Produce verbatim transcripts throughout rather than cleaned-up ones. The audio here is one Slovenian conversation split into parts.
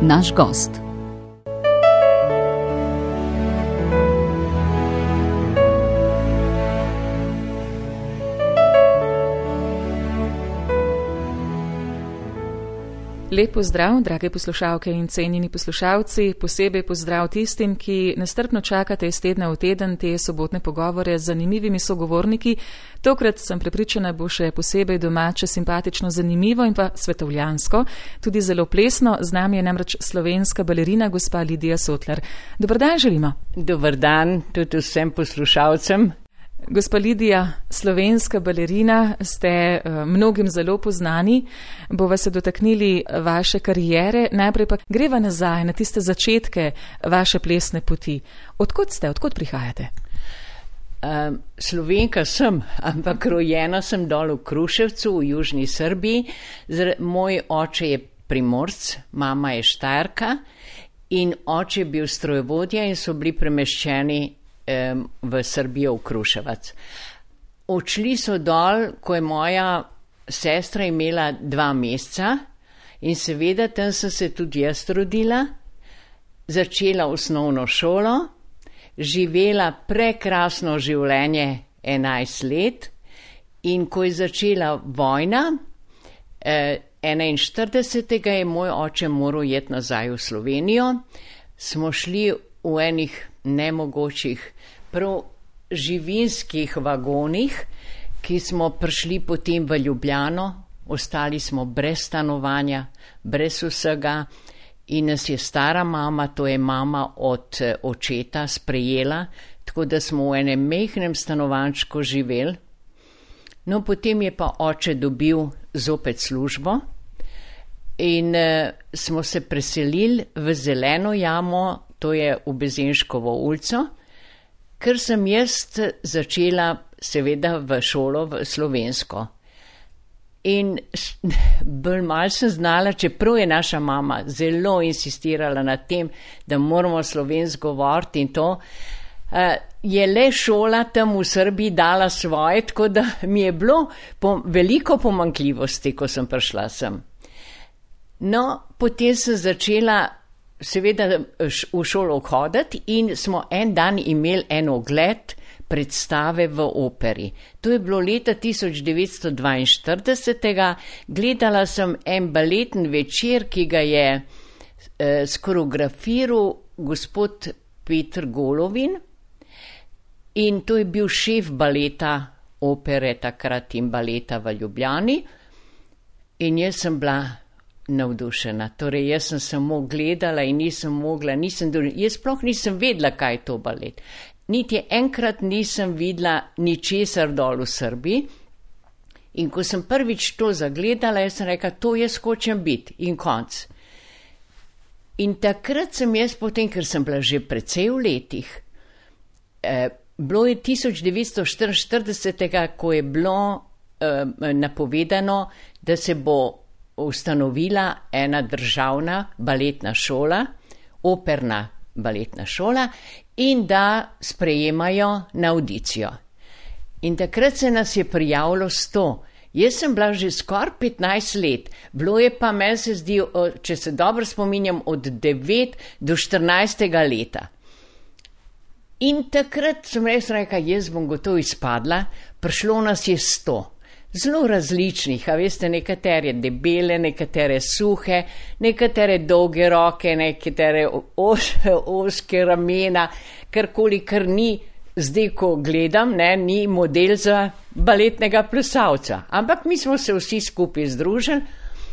naš gost. Lep pozdrav, drage poslušalke in cenjeni poslušalci, posebej pozdrav tistim, ki nestrpno čakate iz tedna v teden te sobotne pogovore z zanimivimi sogovorniki. Tokrat sem prepričana, bo še posebej domače, simpatično, zanimivo in pa svetovljansko, tudi zelo plesno. Z nami je namreč slovenska balerina gospa Lidija Sotlar. Dober dan želimo. Dober dan tudi vsem poslušalcem. Gospa Lidija, slovenska balerina, ste uh, mnogim zelo poznani, bova se dotaknili vaše kariere, najprej pa greva nazaj na tiste začetke vaše plesne poti. Odkot ste, odkot prihajate? Um, Slovenka sem, ampak rojena sem dol v Kruševcu v južni Srbiji. Zr- moj oče je Primorc, mama je Štajerka in oče je bil strojevodja in so bili premeščeni v Srbijo, v Kruševac. Odšli so dol, ko je moja sestra imela dva meseca in seveda tam sem se tudi jaz rodila, začela osnovno šolo, živela prekrasno življenje enajst let in ko je začela vojna, enainštiridesetega je moj oče moral iti nazaj v Slovenijo, smo šli v enih nemogočih, prav živinskih vagonih, ki smo prišli potem v Ljubljano, ostali smo brez stanovanja, brez vsega in nas je stara mama, to je mama od očeta, sprejela, tako da smo v enem mehnem stanovančku živeli. No, potem je pa oče dobil zopet službo in uh, smo se preselili v Zeleno jamo, to je v Bezenškovo ulico, ker sem jaz začela seveda v šolo v slovensko. In bolj malo sem znala, čeprav je naša mama zelo insistirala na tem, da moramo slovensko govoriti in to, je le šola tam v Srbiji dala svoje, tako da mi je bilo veliko pomanjkljivosti, ko sem prišla sem. No, potem sem začela seveda v šolo hoditi in smo en dan imeli en ogled predstave v operi. To je bilo leta tisoč devetsto dvainštiridesetega. Gledala sem en baleten večer, ki ga je eh, skoreografiral gospod Peter Golovin in to je bil šef baleta opere takrat in baleta v Ljubljani in jaz sem bila navdušena. Torej, jaz sem samo gledala in nisem mogla, nisem, jaz sploh nisem vedela, kaj je to balet. Niti enkrat nisem videla ničesar dol v Srbiji in ko sem prvič to zagledala, jaz sem rekla, to jaz hočem biti in konc. In takrat sem jaz potem, ker sem bila že precej v letih, eh, bilo je tisoč devetsto štiriinštiridesetega, ko je bilo eh, napovedano, da se bo ustanovila ena državna baletna šola, operna baletna šola in da sprejemajo na audicijo. In takrat se nas je prijavilo sto. Jaz sem bila že skoraj petnajst let, bilo je pa, meni se zdi, če se dobro spominjam, od devet do štirinajstega leta. In takrat sem res rekla, jaz bom gotovo izpadla, prišlo nas je sto. Zelo različnih, a veste, nekatere debele, nekatere suhe, nekatere dolge roke, nekatere os, oske ramena, karkoli, kar ni, zdaj ko gledam, ne, ni model za baletnega plesalca. Ampak mi smo se vsi skupaj združili,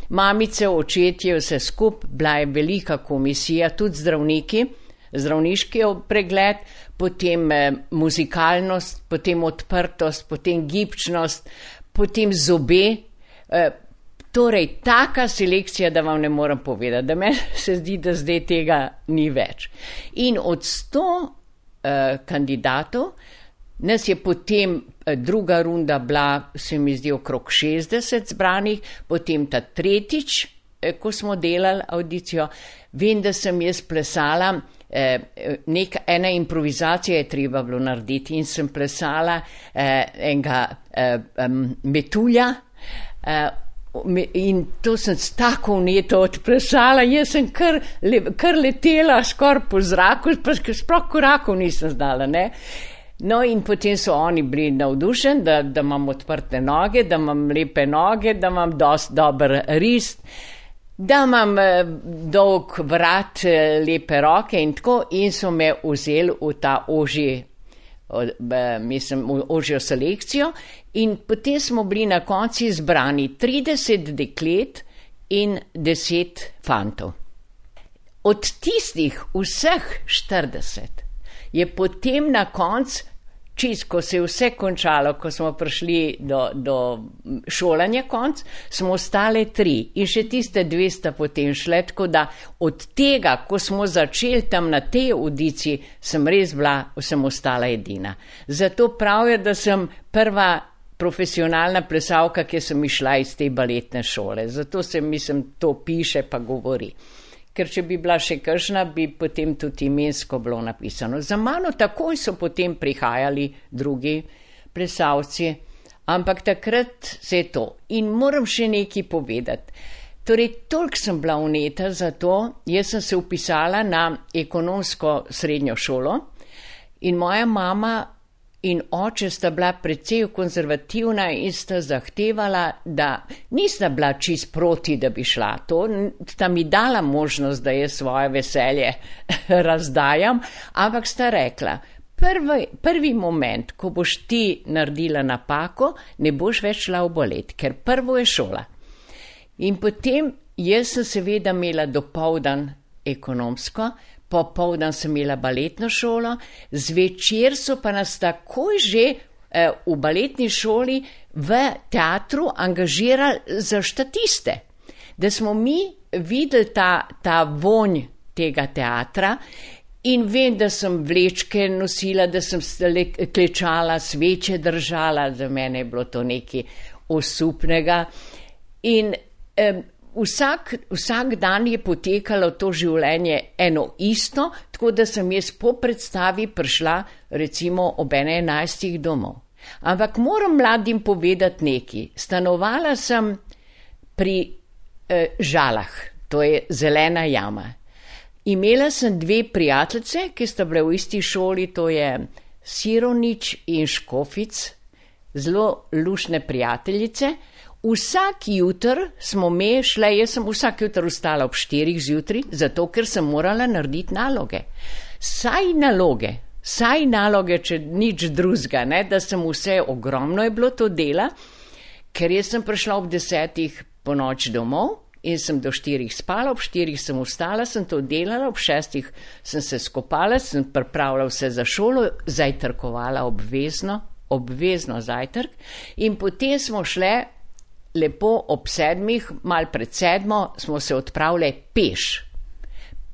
mamice, očetje, vse skupaj, bila je velika komisija, tudi zdravniki, zdravniški pregled, potem eh, muzikalnost, potem odprtost, potem gibčnost, potem zobe, e, torej taka selekcija, da vam ne morem povedati, da meni se zdi, da zdaj tega ni več. In od sto e, kandidatov, nas je potem e, druga runda bila, se mi zdi, okrog šestdeset zbranih, potem ta tretjič, e, ko smo delali audicijo, vem, da sem jaz plesala, e, nek, ena improvizacija je treba bilo narediti in sem plesala e, enega e, um, metulja, e, in to sem s tako vneto odplesala, jaz sem kar, le, kar letela skoraj po zraku, pa sploh korakov nisem zdala, ne. No, in potem so oni bili navdušeni, da, da imam odprte noge, da imam lepe noge, da imam dosti dober rist, da imam eh, dolg vrat, eh, lepe roke in tako, in so me vzeli v ta ožji, eh, mislim, v ožjo selekcijo. In potem smo bili na konci zbrani trideset deklet in deset fantov. Od tistih vseh štirideset je potem na koncu, čist, ko se je vse končalo, ko smo prišli do, do šolanja konc, smo ostale tri in še tiste dve sta potem šle, tako da od tega, ko smo začeli tam na tej audiciji, sem res bila, sem ostala edina. Zato pravijo, da sem prva profesionalna plesalka, ki sem išla iz te baletne šole. Zato se, mislim, to piše pa govori. Ker če bi bila še kakšna, bi potem tudi imensko bilo napisano. Za mano takoj so potem prihajali drugi plesalci, ampak takrat se je to. In moram še nekaj povedati. Torej, toliko sem bila vneta za to, jaz sem se vpisala na ekonomsko srednjo šolo in moja mama in oče sta bila precej konzervativna in sta zahtevala, da nista bila čist proti, da bi šla. To sta mi dala možnost, da jaz svoje veselje razdajam, ampak sta rekla, prvi, prvi moment, ko boš ti naredila napako, ne boš več šla v balet, ker prvo je šola. In potem jaz sem seveda imela dopoldan ekonomsko, popoldan sem imela baletno šolo, zvečer so pa nas takoj že eh, v baletni šoli v teatru angažirali za štatiste, da smo mi videli ta, ta vonj tega teatra in vem, da sem vlečke nosila, da sem klečala, sveče držala, za mene je bilo to nekaj osupnega in eh, Vsak, vsak dan je potekalo to življenje eno isto, tako da sem jaz po predstavi prišla recimo ob ene enajstih domov. Ampak moram mladim povedati nekaj. Stanovala sem pri eh, Žalah, to je zelena jama. Imela sem dve prijateljice, ki sta bile v isti šoli, to je Sironič in Škofic, zelo lušne prijateljice. Vsak jutr smo me šle, jaz sem vsak jutr vstala ob štirih zjutraj, zato ker sem morala narediti naloge. Saj naloge, saj naloge, če nič drugega, ne, da sem vse, ogromno je bilo to dela, ker jaz sem prišla ob desetih po noč domov in sem do štirih spala, ob štirih sem vstala, sem to delala, ob šestih sem se skopala, sem pripravila vse za šolo, zajtrkovala obvezno, obvezno zajtrk in potem smo šle lepo ob sedmih, mal pred sedmo, smo se odpravili peš.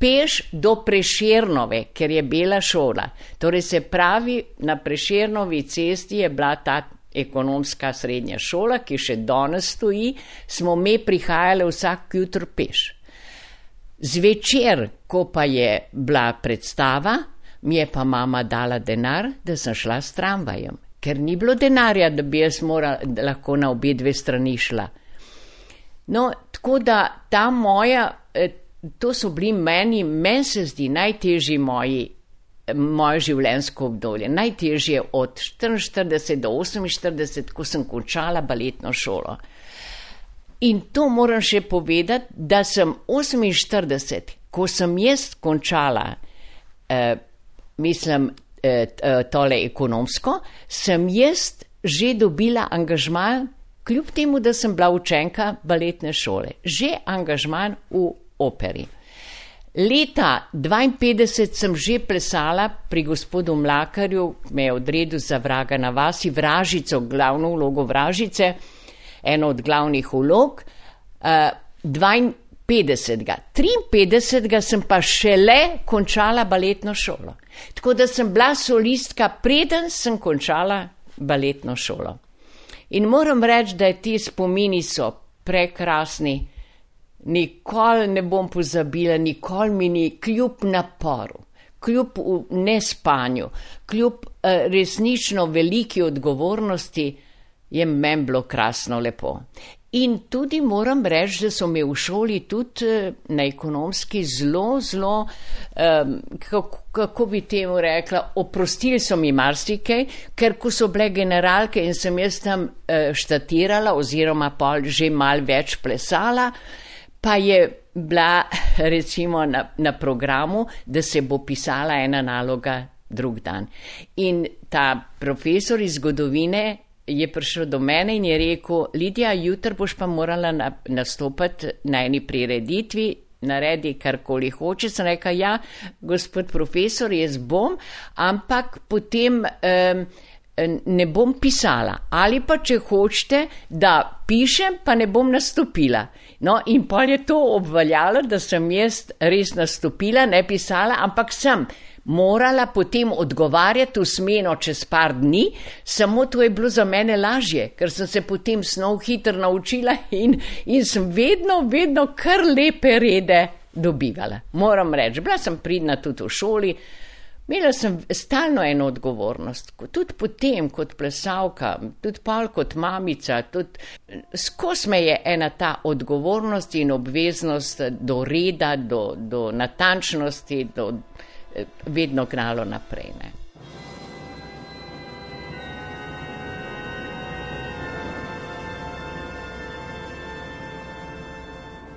Peš do Prešernove, ker je bila šola. Torej se pravi, na Prešernovi cesti je bila ta ekonomska srednja šola, ki še danes stoji, smo me prihajali vsak jutr peš. Zvečer, ko pa je bila predstava, mi je pa mama dala denar, da sem šla s tramvajem. Ker ni bilo denarja, da bi jaz morala, da lahko na obe dve strani šla. No, tako da ta moja, to so bili meni, meni se zdi najtežji moji, moje življenjsko obdobje. Najtežje od štiriinštirideset do oseminštirideset, ko sem končala baletno šolo. In to moram še povedati, da sem oseminštirideset, ko sem jaz končala, eh, mislim, tole ekonomsko, sem jaz že dobila angažman, kljub temu, da sem bila učenka baletne šole, že angažman v operi. Leta dvainpetdeset sem že plesala pri gospodu Mlakarju, me je odredil za Vraga na vasi, Vražico, glavno vlogo Vražice, eno od glavnih vlog, dvainpetdesetega. triinpetdesetega sem pa šele končala baletno šolo. Tako da sem bila solistka, preden sem končala baletno šolo. In moram reči, da ti spomini so prekrasni, nikoli ne bom pozabila, nikoli mi ni, kljub naporu, kljub nespanju, kljub uh, resnično veliki odgovornosti, je meni bilo krasno lepo. In tudi moram reči, da so me v šoli tudi na ekonomski zelo, zelo, um, kako, kako bi temu rekla, oprostili so mi marsikaj, ker ko so bile generalke in sem jaz tam uh, štatirala oziroma pa že mal več plesala, pa je bila recimo na, na programu, da se bo pisala ena naloga drug dan. In ta profesor iz zgodovine je prišel do mene in je rekel, Lidija, jutri boš pa morala na, nastopati na eni prireditvi, naredi karkoli hoče. Sem rekla, ja, gospod profesor, jaz bom, ampak potem um, ne bom pisala. Ali pa, če hočete, da pišem, pa ne bom nastopila. No, in pol je to obveljalo, da sem jaz res nastopila, ne pisala, ampak sem morala potem odgovarjati v smeno čez par dni, samo to je bilo za mene lažje, ker sem se potem snov hitro naučila in, in sem vedno, vedno kar lepe rede dobivala. Moram reči, bila sem pridna tudi v šoli, imela sem stalno eno odgovornost, tudi potem kot plesalka, tudi pol kot mamica, tudi skozi me je ena ta odgovornost in obveznost do reda, do, do natančnosti, do vedno gnalo naprej. Ne.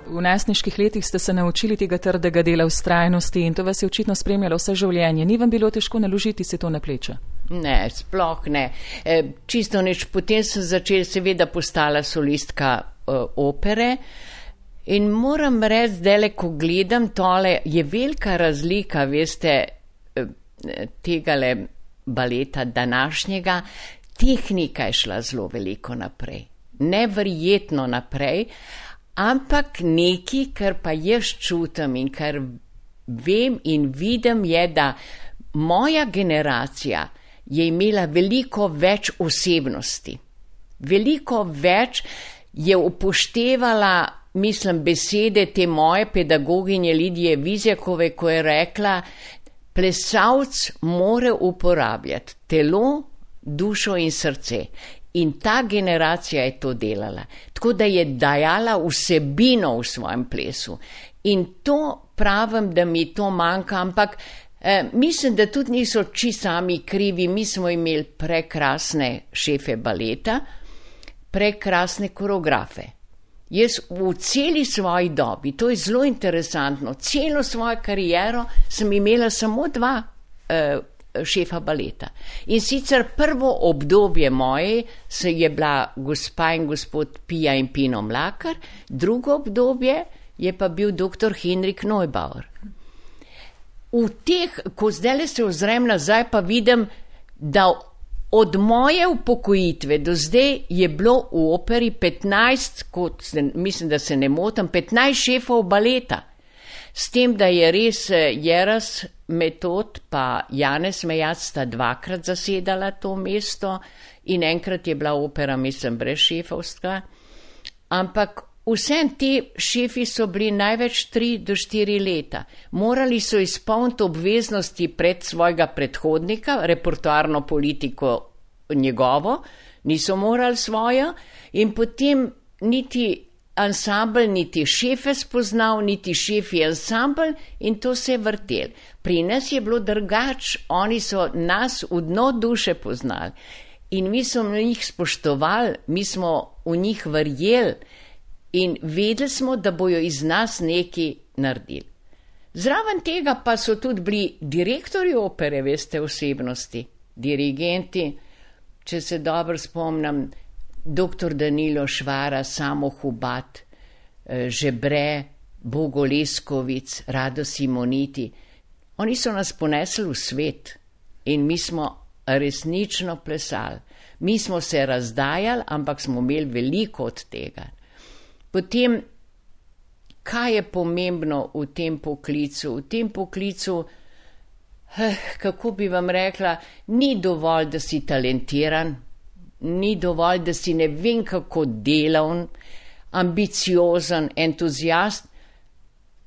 V najstniških letih ste se naučili tega trdega dela, vztrajnosti in to vas je očitno spremljalo vse življenje. Ni vam bilo težko naložiti se to na pleče? Ne, sploh ne. E, čisto nič. Potem sem začela, seveda postala solistka e, opere. In moram reči, zdaj, ko gledam tole, je velika razlika, veste, tegale baleta današnjega, tehnika je šla zelo veliko naprej. Neverjetno naprej, ampak nekaj, kar pa jaz čutim in kar vem in vidim, je, da moja generacija je imela veliko več osebnosti. Veliko več je upoštevala, mislim, besede te moje pedagoginje Lidije Vizjakove, ko je rekla, plesalc more uporabljati telo, dušo in srce. In ta generacija je to delala. Tako da je dajala vsebino v svojem plesu. In to pravim, da mi to manjka, ampak eh, mislim, da tudi niso či sami krivi. Mi smo imeli prekrasne šefe baleta, prekrasne koreografe. Jaz v celi svoji dobi, to je zelo interesantno, celo svojo kariero sem imela samo dva uh, šefa baleta. In sicer prvo obdobje moje se je bila gospa in gospod Pija in Pino Mlakar, drugo obdobje je pa bil doktor Henrik Neubauer. V teh, ko zdaj se ozrem nazaj, pa vidim, da od moje upokojitve do zdaj je bilo v operi petnajst, kot se, mislim, da se ne motim, petnajst šefov baleta. S tem, da je res Jeras Metod pa Janez Mejac sta dvakrat zasedala to mesto in enkrat je bila opera, mislim, brez šefovstva. Ampak vsem ti šefi so bili največ tri do štiri leta. Morali so izpolniti obveznosti pred svojega predhodnika, repertoarno politiko njegovo, niso morali svojo in potem niti ansambl, niti šefe spoznal, niti šefi ansambl in to se je vrtel. Pri nas je bilo drugač, oni so nas v dno duše poznali in mi smo v njih spoštovali, mi smo v njih verjeli. In vedeli smo, da bojo iz nas nekaj naredili. Zraven tega pa so tudi bili direktorji opere, veste, osebnosti, dirigenti, če se dobro spomnim, doktor Danilo Švara, Samo Hubat, Žebre, Bogo Leskovic, Rado Simoniti. Oni so nas ponesli v svet in mi smo resnično plesali. Mi smo se razdajali, ampak smo imeli veliko od tega. Potem, kaj je pomembno v tem poklicu? V tem poklicu, eh, kako bi vam rekla, ni dovolj, da si talentiran, ni dovolj, da si ne vem kako delavn, ambiciozen, entuzijast.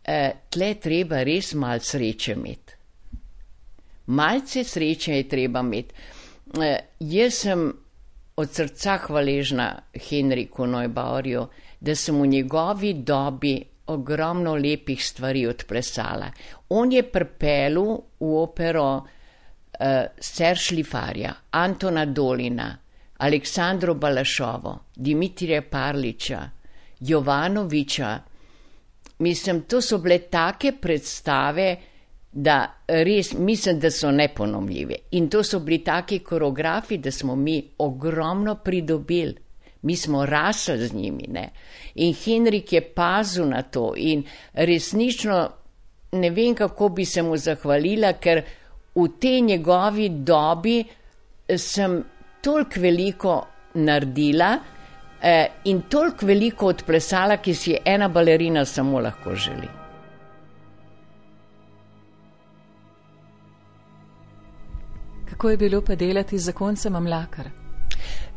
Eh, tle treba res malo sreče imeti. Malce sreče je treba imeti. Eh, jaz sem od srca hvaležna Henriku Neubauerju, da sem v njegovi dobi ogromno lepih stvari odplesala. On je pripeljal v opero uh, Serge Lifarja, Antona Dolina, Aleksandro Balašovo, Dimitrija Parliča, Jovanoviča. Mislim, to so bile take predstave, da res mislim, da so neponomljive. In to so bili taki koreografi, da smo mi ogromno pridobili. Mi smo rasli z njimi, ne. In Henrik je pazil na to in resnično ne vem, kako bi se mu zahvalila, ker v tej njegovi dobi sem toliko veliko naredila eh, in toliko veliko odplesala, ki si ena balerina samo lahko želi. Kako je bilo pa delati z zakoncem Mlakar?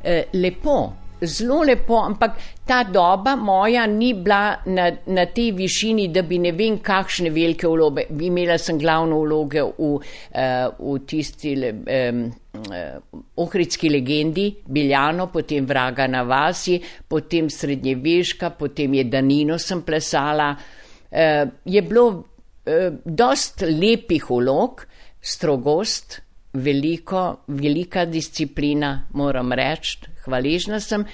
Eh, lepo, zelo lepo, ampak ta doba moja ni bila na, na tej višini, da bi ne vem kakšne velike vloge. Imela sem glavno vloge v, uh, v tisti um, uh, ohridski legendi, Biljano, potem Vraga na vasi, potem Srednjeveška, potem je Danino sem plesala. Uh, je bilo uh, dost lepih vlog, strogost, veliko, velika disciplina, moram reči, hvaležna sem.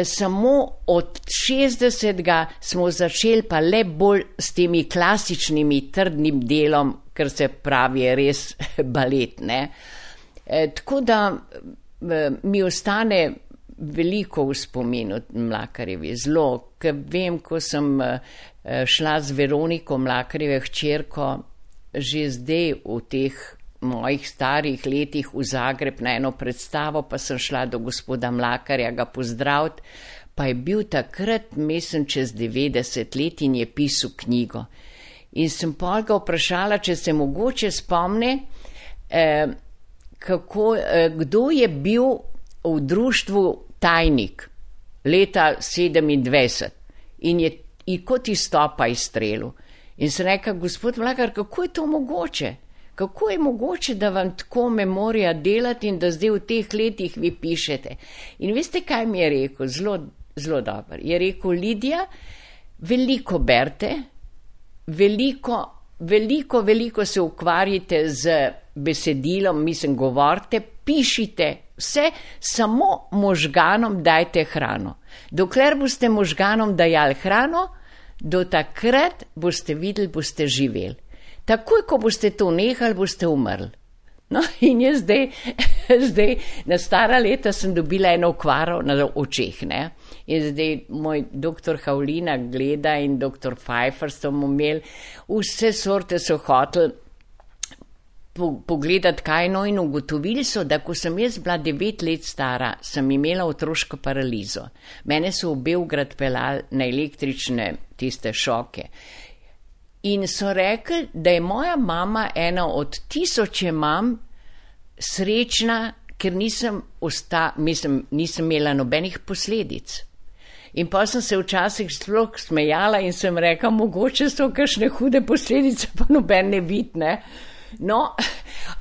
Samo od šestdesetega smo začeli pa le bolj s temi klasičnimi trdnim delom, ker se pravi je res balet, ne. E, tako da e, mi ostane veliko v spominu Mlakarjevi, zelo, ker vem, ko sem e, šla z Veroniko Mlakarjeve hčerko, že zdaj v teh mojih starih letih v Zagreb na eno predstavo, pa sem šla do gospoda Mlakarja ga pozdraviti, pa je bil takrat, mislim, čez devetdeset let in je pisal knjigo. In sem pol ga vprašala, če se mogoče spomne, eh, kako, eh, kdo je bil v društvu Tajnik leta sedemindvajset in je in kot izstopa iz strelu. In sem rekla, gospod Mlakar, kako je to mogoče? Kako je mogoče, da vam tako memorija delati in da zdaj v teh letih vi pišete? In veste, kaj mi je rekel? Zelo, zelo dobro. Je rekel, Lidija, veliko berte, veliko, veliko, veliko se ukvarjate z besedilom, mislim, govorite, pišite, vse, samo možganom dajte hrano. Dokler boste možganom dajali hrano, do takrat boste videli, boste živeli. Takoj, ko boste to nehali, boste umrli. No, in jaz zdaj, zdaj, na stara leta sem dobila eno okvaro na očeh, ne. In zdaj moj doktor Havlina gleda in doktor Pfeiffer so mu imeli, vse sorte so hoteli pogledati kaj, no, in ugotovili so, da ko sem jaz bila devet let stara, sem imela otroško paralizo. Mene so v Beograd peljali na električne tiste šoke. In so rekli, da je moja mama ena od tisoče mam srečna, ker nisem, osta, mislim, nisem imela nobenih posledic. In pa sem se včasih sploh smejala in sem rekla, mogoče so kakšne hude posledice, pa noben ne vidi, ne. No,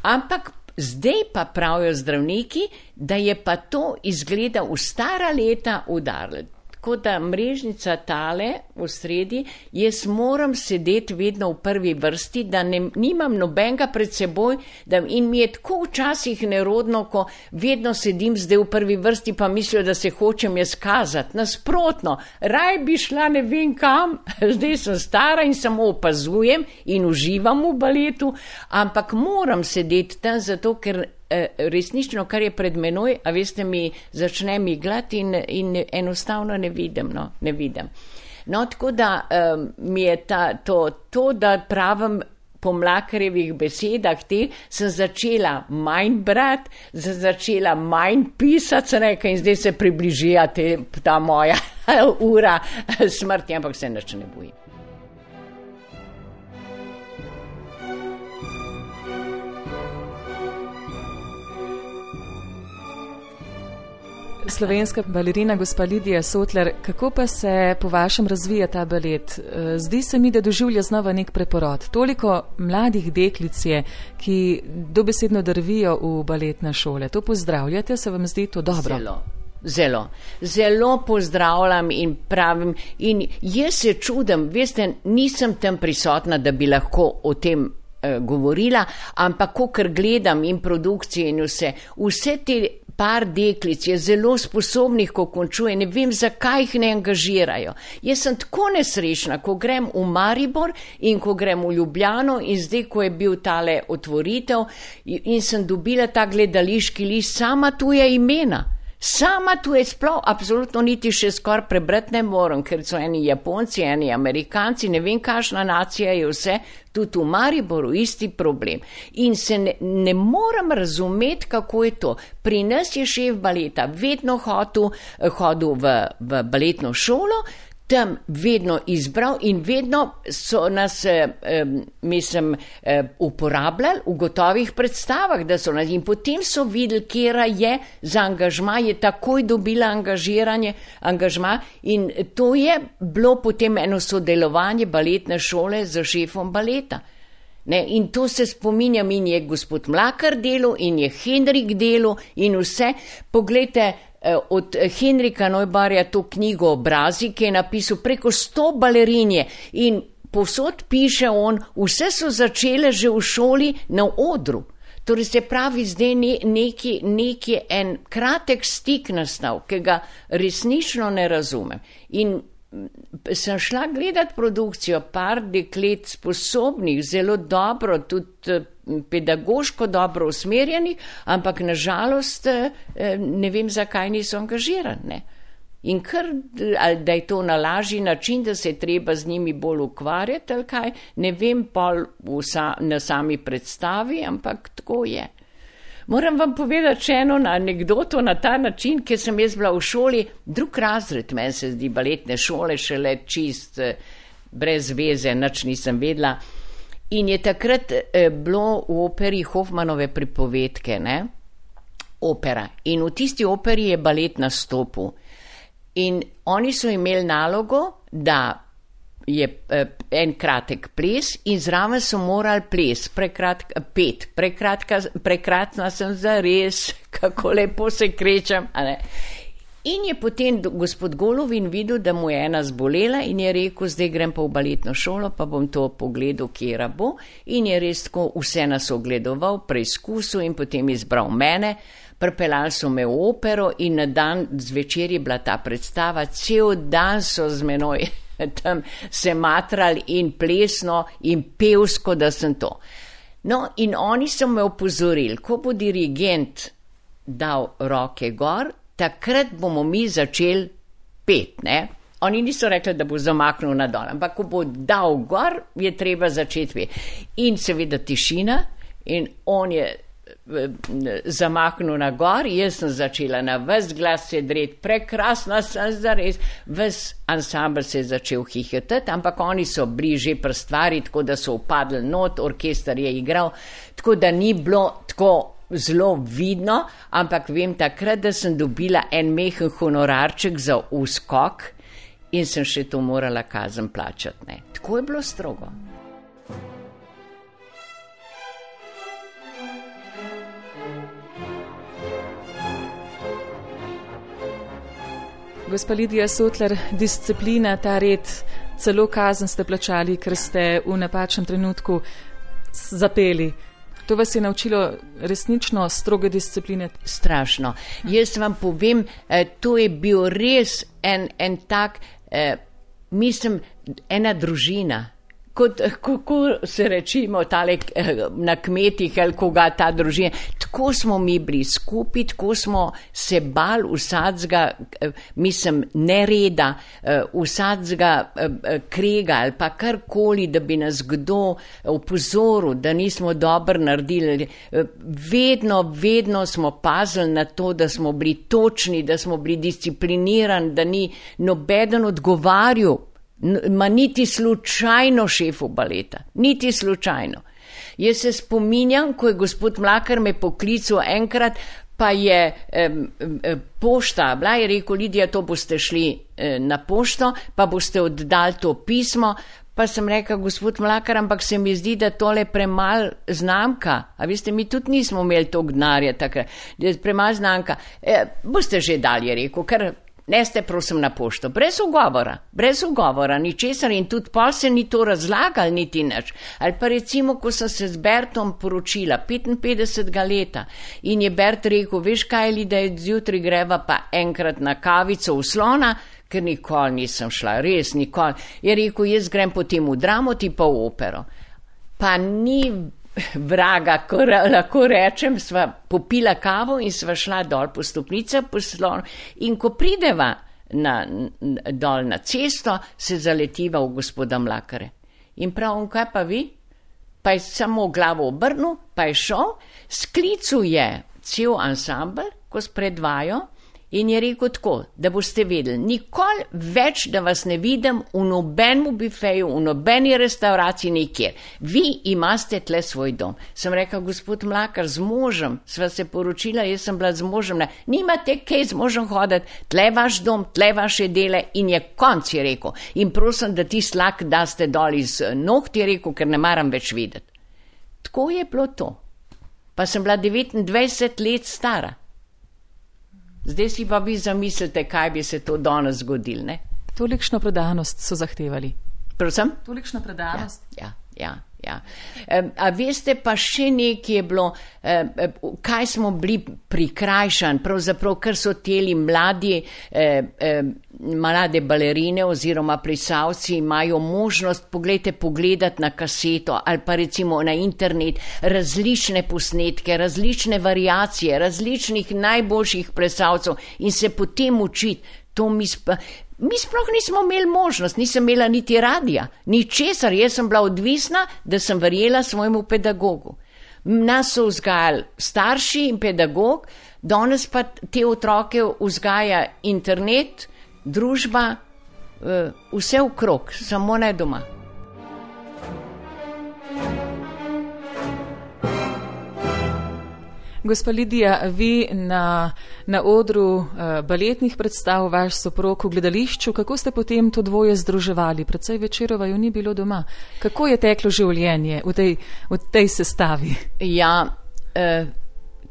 ampak zdaj pa pravijo zdravniki, da je pa to izgleda v stara leta udarilo. Tako da mrežnica tale v sredi, jaz moram sedeti vedno v prvi vrsti, da ne, nimam nobenega pred seboj, da, in mi je tako včasih nerodno, ko vedno sedim zdaj v prvi vrsti, pa mislijo, da se hočem jaz kazati. Nasprotno, raj bi šla ne vem kam, zdaj sem stara in samo opazujem in uživam v baletu, ampak moram sedeti tam zato, ker resnično, kar je pred menoj, a veste, mi začne miglati in, in enostavno ne vidim, no, ne vidim. No, tako da um, mi je ta, to, to, da pravim po Mlakarjevih besedah te, sem začela manj brati, sem začela manj pisati, sem rekla, in zdaj se približija te, ta moja ura smrti, ampak se nič ne bojim. Slovenska balerina gospa Lidija Sotlar, kako pa se po vašem razvija ta balet? Zdi se mi, da doživlja znova nek preporod. Toliko mladih deklic je, ki dobesedno drvijo v baletne šole. To pozdravljate, se vam zdi to dobro? Zelo. Zelo, zelo pozdravljam in pravim, in jaz se čudim, veste, nisem tam prisotna, da bi lahko o tem eh, govorila, ampak kakor gledam in produkcije in vse, vse te par deklic je zelo sposobnih, ko končuje, ne vem, zakaj jih ne angažirajo. Jaz sem tako nesrečna, ko grem v Maribor in ko grem v Ljubljano in zdaj, ko je bil tale otvoritev in sem dobila ta gledališki list, sama tuja imena. Sama tu je sploh, absolutno niti še skoraj prebrati ne moram, ker so eni Japonci, eni Amerikanci, ne vem, kakšna nacija je vse, tudi v Mariboru isti problem. In se ne, ne moram razumeti, kako je to. Pri nas je šef baleta vedno hodil, hodil v, v baletno šolo, tam vedno izbral in vedno so nas, eh, mislim, eh, uporabljali v gotovih predstavah, da so nas in potem so videli, kjera je za angažma, je takoj dobila angažiranje, angažma in to je bilo potem eno sodelovanje baletne šole z šefom baleta. Ne, in to se spominjam in je gospod Mlakar delal in je Henrik delal in vse. Poglejte, od Henrika Neubarja to knjigo Obrazi, ki je napisal preko sto balerinje in povsod piše on, vse so začele že v šoli na odru. Torej se pravi, zdaj ne, neki, neki en kratek stik nastal, ki ga resnično ne razumem. In sem šla gledat produkcijo par deklet sposobnih, zelo dobro, tudi pedagoško dobro usmerjenih, ampak nažalost ne vem, zakaj niso angažirane. In kar, ali da je to na lažji način, da se je treba z njimi bolj ukvarjati, ali kaj, ne vem pol sa, na sami predstavi, ampak tako je. Moram vam povedati še eno anekdoto na ta način, ker sem jaz bila v šoli, drug razred, meni se zdi baletne šole, šele čist brez veze, nič nisem vedela. In je takrat eh, bilo v operi Hoffmanove pripovedke, ne? Opera. In v tisti operi je balet nastopil. In oni so imeli nalogo, da je eh, en kratek ples in zraven so morali ples, prekratka, pet, prekratka, prekratna sem zares, kako lepo se krečem, a ne? In je potem gospod Golovin videl, da mu je ena zbolela in je rekel, zdaj grem pa v baletno šolo, pa bom to pogledal, kjera bo. In je res tako vse nas ogledoval, preizkusil in potem izbral mene. Pripeljali so me v opero in na dan zvečer je bila ta predstava, cel dan so z menoj tam se matrali in plesno in pevsko, da sem to. No in oni so me opozorili, ko bo dirigent dal roke gor, takrat bomo mi začeli pet, ne? Oni niso rekli, da bo zamaknil na dol, ampak ko bo dal gor, je treba začeti pet. In seveda tišina in on je zamahnil na gor, jaz sem začela na ves glas se dreti, prekrasna sem zares, ves ansambl se je začel hihitati, ampak oni so bili že pri stvari, tako da so upadli not, orkester je igral, tako da ni bilo tako zelo vidno, ampak vem takrat, da sem dobila en mehen honorarček za uskok in sem še to morala kazen plačati, ne. Tako je bilo strogo. Gospa Lidija Sotlar, disciplina, ta red, celo kazen ste plačali, ker ste v napačnem trenutku zapeli. To vas je naučilo resnično stroge discipline? Strašno. Jaz vam povem, to je bil res en, en tak, eh, mislim, ena družina. Kot, kako se rečimo tale na kmetih ali koga ta družina. Tako smo mi bili skupaj, tako smo se bali vsadzga, mislim, nereda, vsadzga krega ali pa karkoli, da bi nas kdo opozoril, da nismo dobro naredili. Vedno, vedno smo pazili na to, da smo bili točni, da smo bili disciplinirani, da ni nobeden odgovarjal. Ma niti slučajno šefu baleta, niti slučajno. Jaz se spominjam, ko je gospod Mlakar me poklical enkrat, pa je eh, pošta, bila je rekel, Lidija, to boste šli eh, na pošto, pa boste oddali to pismo. Pa sem rekel, gospod Mlakar, ampak se mi zdi, da tole premal znamka. A veste, mi tudi nismo imeli toliko denarja takrat, da je premal znamka. E, boste že dalje rekel, ker neste prosim na pošto. Brez ugovora, brez ugovora, ničesar in tudi pol se ni to razlagal niti nič. Ali pa recimo, ko sem se z Bertom poročila, petinpetdesetega leta, in je Bert rekel, veš kaj, Lida, zjutraj greva pa enkrat na kavico v Slona, ker nikoli nisem šla, res nikoli. Je rekel, jaz grem potem v Dramo, ti pa v opero. Pa ni vraga, ko lahko rečem, sva popila kavo in sva šla dol po stopnicah po Slonu. In ko prideva na, dol na cesto, se zaletiva v gospoda Mlakare. In pravim, kaj pa vi? Pa je samo glavo obrnil, pa je šel, sklical je cel ansambel, ko spredvajo, in je rekel tako, da boste vedeli, nikoli več, da vas ne vidim v nobenem bifeju, v nobeni restauraciji, nikjer. Vi imate tle svoj dom. Sem rekel, gospod Mlakar, z možem, sva se poročila, jaz sem bila z možem, ne, nimate kaj z možem hoditi, tle vaš dom, tle vaše dele in je konc, je rekel. In prosim, da ti slak daste dol iz noht, je rekel, ker ne maram več videti. Tako je bilo to. Pa sem bila devetindvajset let stara. Zdaj si pa vi zamislite, kaj bi se to danes zgodil, ne? Tolikšno predanost so zahtevali. Prosim? Tolikšno predanost. Ja, ja, ja. ja. A veste pa še nekaj je bilo, kaj smo bili prikrajšani, pravzaprav, ker so teli mladi, mlade balerine oziroma plesalci imajo možnost, poglejte, pogledati na kaseto ali pa recimo na internet različne posnetke, različne variacije, različnih najboljših plesalcev in se potem učiti. To mi sp... Mi sploh nismo imeli možnost, nisem imela niti radija, ničesar, jaz sem bila odvisna, da sem verjela svojemu pedagogu. Nas so vzgajali starši in pedagog, danes pa te otroke vzgaja internet, družba, vse okrog, samo ne doma. Gospa Lidija, vi na, na odru uh, baletnih predstav, vaš soprog v gledališču, kako ste potem to dvoje združevali? Predvsej večerova ju ni bilo doma. Kako je teklo življenje v tej, v tej sestavi? Ja, eh,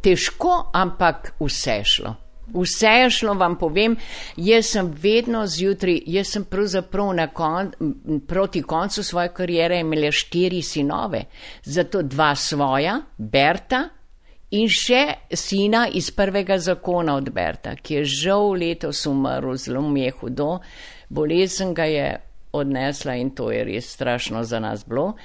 težko, ampak vse šlo. Vse je šlo, vam povem, jaz sem vedno zjutraj, jaz sem pravzaprav na kon, proti koncu svoje karijere imela štiri sinove, zato dva svoja, Berta, in še sina iz prvega zakona od Berta, ki je žal letos umrl, zelo mi je hudo, bolezen ga je odnesla in to je res strašno za nas bilo.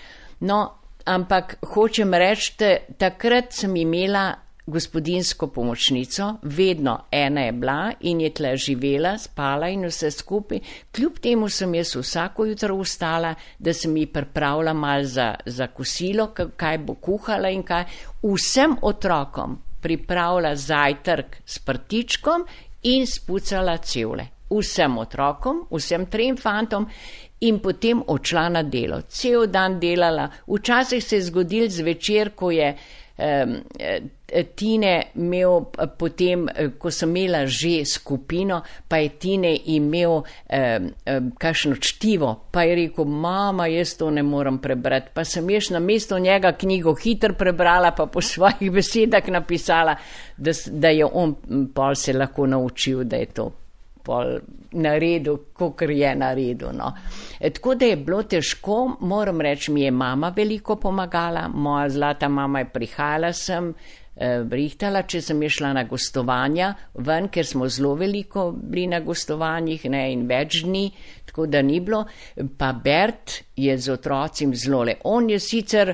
No, ampak hočem reči, takrat sem imela gospodinjsko pomočnico, vedno ena je bila in je tle živela, spala in vse skupaj. Kljub temu sem jaz vsako jutro vstala, da sem ji pripravila malo za, za kosilo, kaj bo kuhala in kaj. Vsem otrokom pripravila zajtrk s prtičkom in spucala cevle. Vsem otrokom, vsem trem fantom in potem odšla na delo. Cel dan delala. Včasih se je zgodil zvečer, ko je um, Tine imel potem, ko sem imela že skupino, pa je Tine imel um, um, kakšno čtivo, pa je rekel, mama, jaz to ne morem prebrati. Pa sem ješ na mesto njega knjigo hitro prebrala, pa po svojih besedah napisala, da, da je on pol se lahko naučil, da je to pol naredil, kakor je naredil. No. E, tako da je bilo težko, moram reči, mi je mama veliko pomagala, moja zlata mama je prihajala sem, eh, rihtala, če sem je šla na gostovanja ven, ker smo zelo veliko bili na gostovanjih, ne, in več dni, tako da ni bilo, pa Bert je z otrocim zelo le. On je sicer,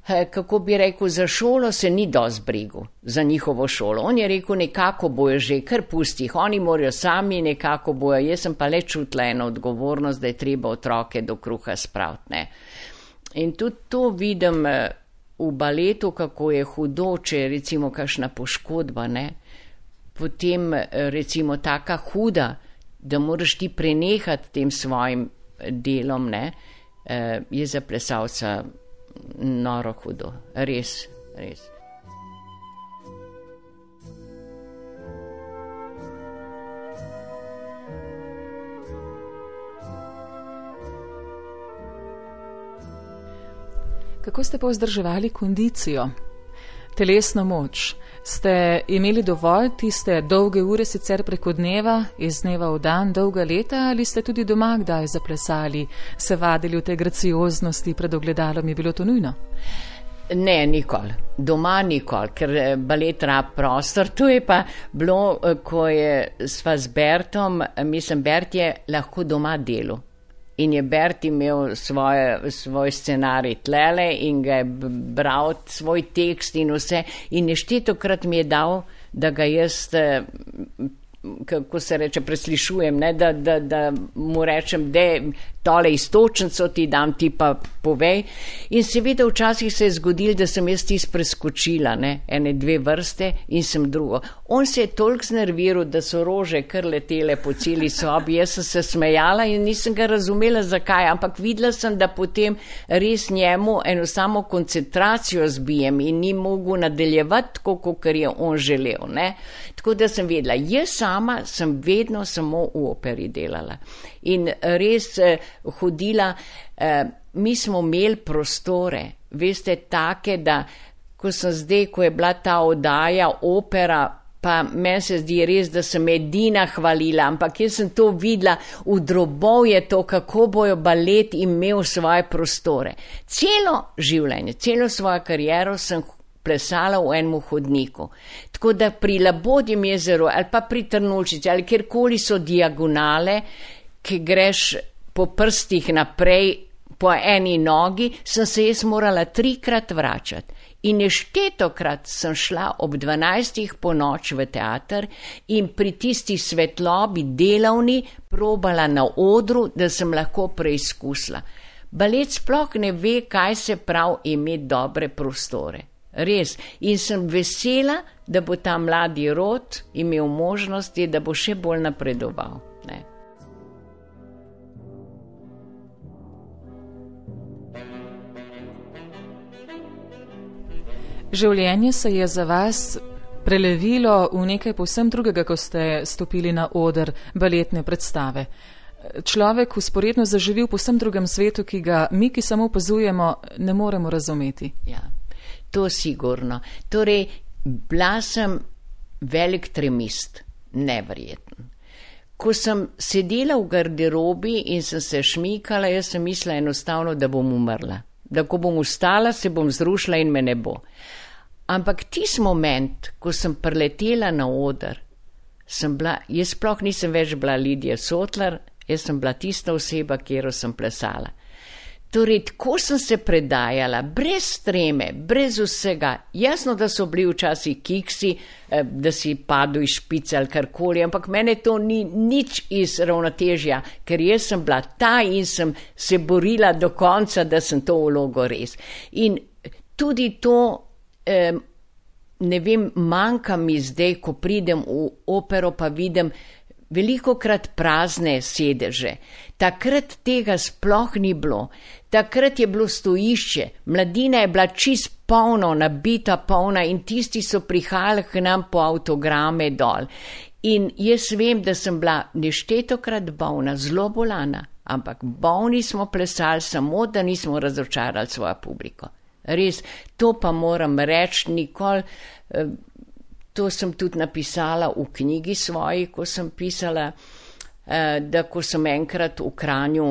kako bi rekel, za šolo se ni dosti brigu, za njihovo šolo. On je rekel, nekako bojo že, kar pusti jih, oni morajo sami, nekako bojo. Jaz sem pa le čutila eno odgovornost, da je treba otroke do kruha spraviti, ne. In tudi to vidim v baletu, kako je hudo, če je recimo kakšna poškodba, ne. Potem recimo taka huda, da moraš ti prenehati tem svojim delom, ne, je za plesalca noro hudo, res, res. Kako ste pa vzdrževali kondicijo, telesno moč? Ste imeli dovolj tiste dolge ure sicer preko dneva, iz dneva v dan, dolga leta, ali ste tudi doma kdaj zaplesali, se vadili v tej gracioznosti pred ogledalom, je bilo to nujno? Ne, nikoli. Doma nikoli, ker balet rab prostor. To je pa bilo, ko je sva z Bertom, mislim, Bert je lahko doma delal. In je Bert imel svoje, svoj scenarij tlele in ga je bral, svoj tekst in vse. In neštetokrat mi je dal, da ga jaz, kako se reče, preslišujem, ne? Da, da, da mu rečem, da tole istočnico ti dam, ti pa povej. In seveda včasih se je zgodil, da sem jaz tis preskočila, ne? Ene dve vrste in sem drugo. On se je toliko znerviral, da so rože kar letele po celi sobi. Jaz sem se smejala in nisem ga razumela, zakaj, ampak videla sem, da potem res njemu eno samo koncentracijo zbijem in ni mogel nadaljevati tako, kot je on želel, ne? Tako da sem vedela, jaz sama sem vedno samo v operi delala. In res eh, hodila, eh, mi smo imeli prostore, veste, take, da ko sem zdaj, ko je bila ta oddaja, opera, pa meni se zdi res, da sem edina hvalila, ampak jaz sem to videla, v drobovje to, kako bojo balet imel svoje prostore. Celo življenje, celo svojo kariero sem plesala v enem hodniku. Tako da pri Labodjem jezeru ali pa pri Trnulčici ali kjerkoli so diagonale, ki greš po prstih naprej po eni nogi, sem se jaz morala trikrat vračati. In neštetokrat sem šla ob dvanajstih po noč v teater in pri tisti svetlobi delavni probala na odru, da sem lahko preizkusila. Balet sploh ne ve, kaj se pravi imeti dobre prostore. Res. In sem vesela, da bo ta mladi rod imel možnosti, da bo še bolj napredoval. Ne. Življenje se je za vas prelevilo v nekaj povsem drugega, ko ste stopili na oder baletne predstave. Človek vzporedno zaživi v povsem drugem svetu, ki ga mi, ki samo opazujemo, ne moremo razumeti. Ja. To sigurno. Torej, bila sem velik tremist, neverjeten. Ko sem sedela v garderobi in sem se šmikala, jaz sem mislila enostavno, da bom umrla. Da ko bom ustala, se bom zrušila in me ne bo. Ampak tisti moment, ko sem preletela na oder, sem bila, jaz sploh nisem več bila Lidija Sotlar, jaz sem bila tista oseba, kjero sem plesala. Torej, tako sem se predajala, brez treme, brez vsega. Jasno, da so bili včasih kiksi, da si padel iz špice ali karkoli, ampak mene to ni nič iz ravnotežja, ker jaz sem bila ta in sem se borila do konca, da sem to vlogo res. In tudi to, eh, ne vem, manjka mi zdaj, ko pridem v opero, pa vidim velikokrat prazne sedeže. Takrat tega sploh ni bilo. Takrat je bilo stojišče, mladina je bila čist polno, nabita polna in tisti so prihajali k nam po avtograme dol. In jaz vem, da sem bila neštetokrat bolna, zelo bolana, ampak bolni smo plesali samo, da nismo razočarali svojo publiko. Res, to pa moram reči, nikoli, to sem tudi napisala v knjigi svoji, ko sem pisala, da ko sem enkrat v Kranju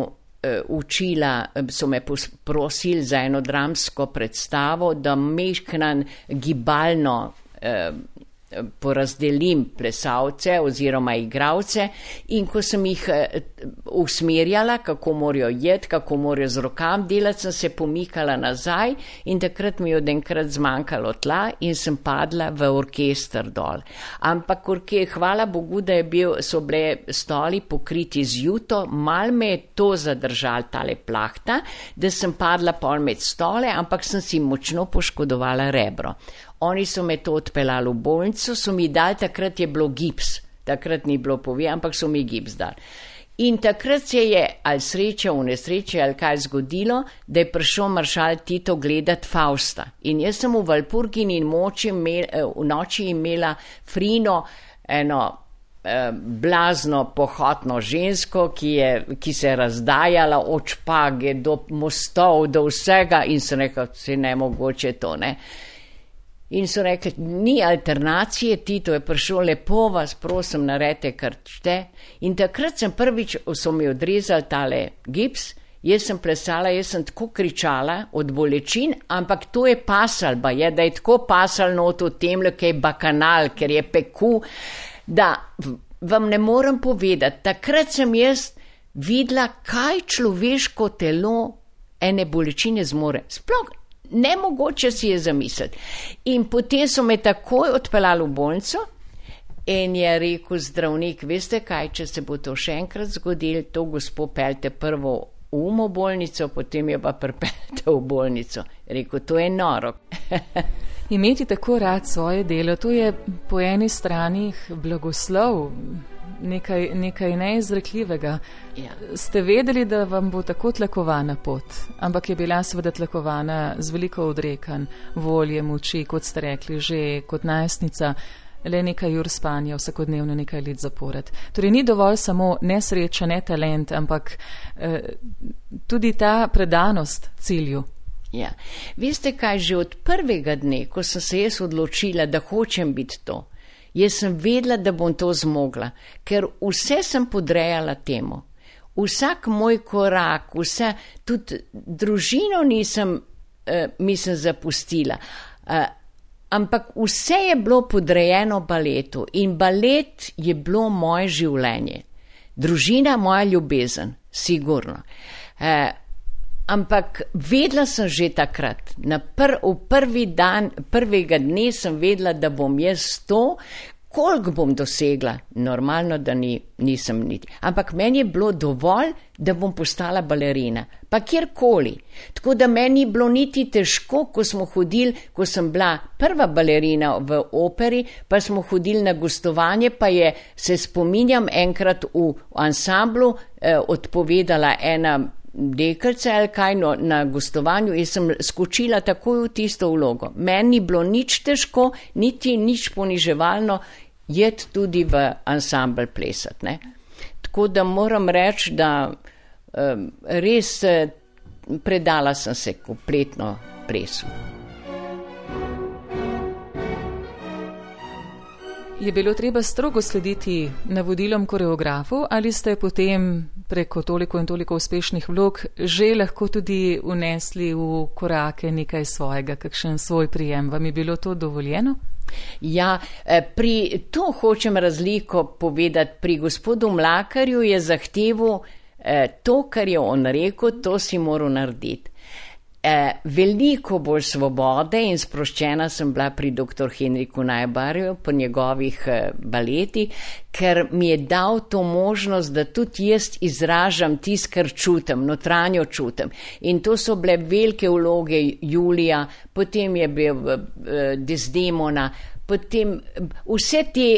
učila, so me prosili za eno dramsko predstavo, da mehknan gibalno porazdelim plesalce oziroma igralce in ko sem jih usmerjala, kako morajo jeti, kako morajo z rokam delati, sem se pomikala nazaj in takrat mi je odenkrat zmanjkalo tla in sem padla v orkester dol. Ampak orke, hvala Bogu, da je bil, so bile stoli pokriti z juto, mal me je to zadržal tale plahta, da sem padla pol med stole, ampak sem si močno poškodovala rebro. Oni so me to odpeljali v bolnico, so mi dali, takrat je bilo gips, takrat ni bilo povi, ampak so mi gips dali. In takrat se je ali sreča v nesreče ali kaj zgodilo, da je prišel maršal Tito gledat Fausta. In jaz sem v Valpurgini moči imel, v noči imela Frino eno blazno pohotno žensko, ki, je, ki se je razdajala od špage do mostov, do vsega in so rekli, se ne mogoče to, ne. In so rekli, ni alternacije, Tito je prišel, lepo vas prosim, naredite, kar šte. In takrat sem prvič, so mi odrezali tale gips, jaz sem plesala, jaz sem tako kričala od bolečin, ampak to je pasal, ba je, da je tako pasal not v temle, ki je bakanal, ker je peku, da vam ne morem povedati, takrat sem jaz videla, kaj človeško telo ene bolečine zmore. Sploh nemogoče si je zamisliti. In potem so me takoj odpeljali v bolnico in je rekel zdravnik, veste kaj, če se bo to še enkrat zgodilo, to gospo peljte prvo v umo bolnico, potem jo pa pripeljte v bolnico. Rekel, to je noro. Imeti tako rad svoje delo, to je po eni strani blagoslov, nekaj, nekaj neizrekljivega. Ja. Ste vedeli, da vam bo tako tlakovana pot, ampak je bila seveda tlakovana z veliko odrekanj, volje, moči, kot ste rekli, že kot najstnica, le nekaj ur spanja, vsakodnevno nekaj let zapored. Torej ni dovolj samo nesreča, ne talent, ampak eh, tudi ta predanost cilju. Ja, veste kaj, že od prvega dne, ko sem se jaz odločila, da hočem biti to, jaz sem vedela, da bom to zmogla, ker vse sem podrejala temu. Vsak moj korak, vse, tudi družino nisem, uh, mislim, zapustila, uh, ampak vse je bilo podrejeno baletu in balet je bilo moje življenje. Družina moja ljubezen, sigurno. Uh, Ampak vedela sem že takrat, na pr, v prvi dan, prvega dne sem vedela, da bom jaz to, koliko bom dosegla, normalno, da ni, nisem niti. Ampak meni je bilo dovolj, da bom postala balerina, pa kjerkoli. Tako da meni je bilo niti težko, ko smo hodili, ko sem bila prva balerina v operi, pa smo hodili na gostovanje, pa je, se spominjam, enkrat v ansamblu eh, odpovedala ena deklica ali kaj, no, na gostovanju in sem skočila takoj v tisto vlogo. Meni ni bilo nič težko, niti nič poniževalno jeti tudi v ansambl plesati, ne. Tako da moram reči, da um, res predala sem se kompletno plesu. Je bilo treba strogo slediti navodilom koreografov ali ste potem preko toliko in toliko uspešnih vlog že lahko tudi unesli v korake nekaj svojega, kakšen svoj prijem? Vam je bilo to dovoljeno? Ja, pri, to hočem razliko povedati. Pri gospodu Mlakarju je zahteval eh, to, kar je on rekel, to si moral narediti. Eh, veliko bolj svobode in sproščena sem bila pri doktor Henriku Najbarju, po njegovih eh, baletih, ker mi je dal to možnost, da tudi jaz izražam tisto, kar čutim, notranjo čutim. In to so bile velike vloge Julija, potem je bil eh, Desdemona, potem vse te,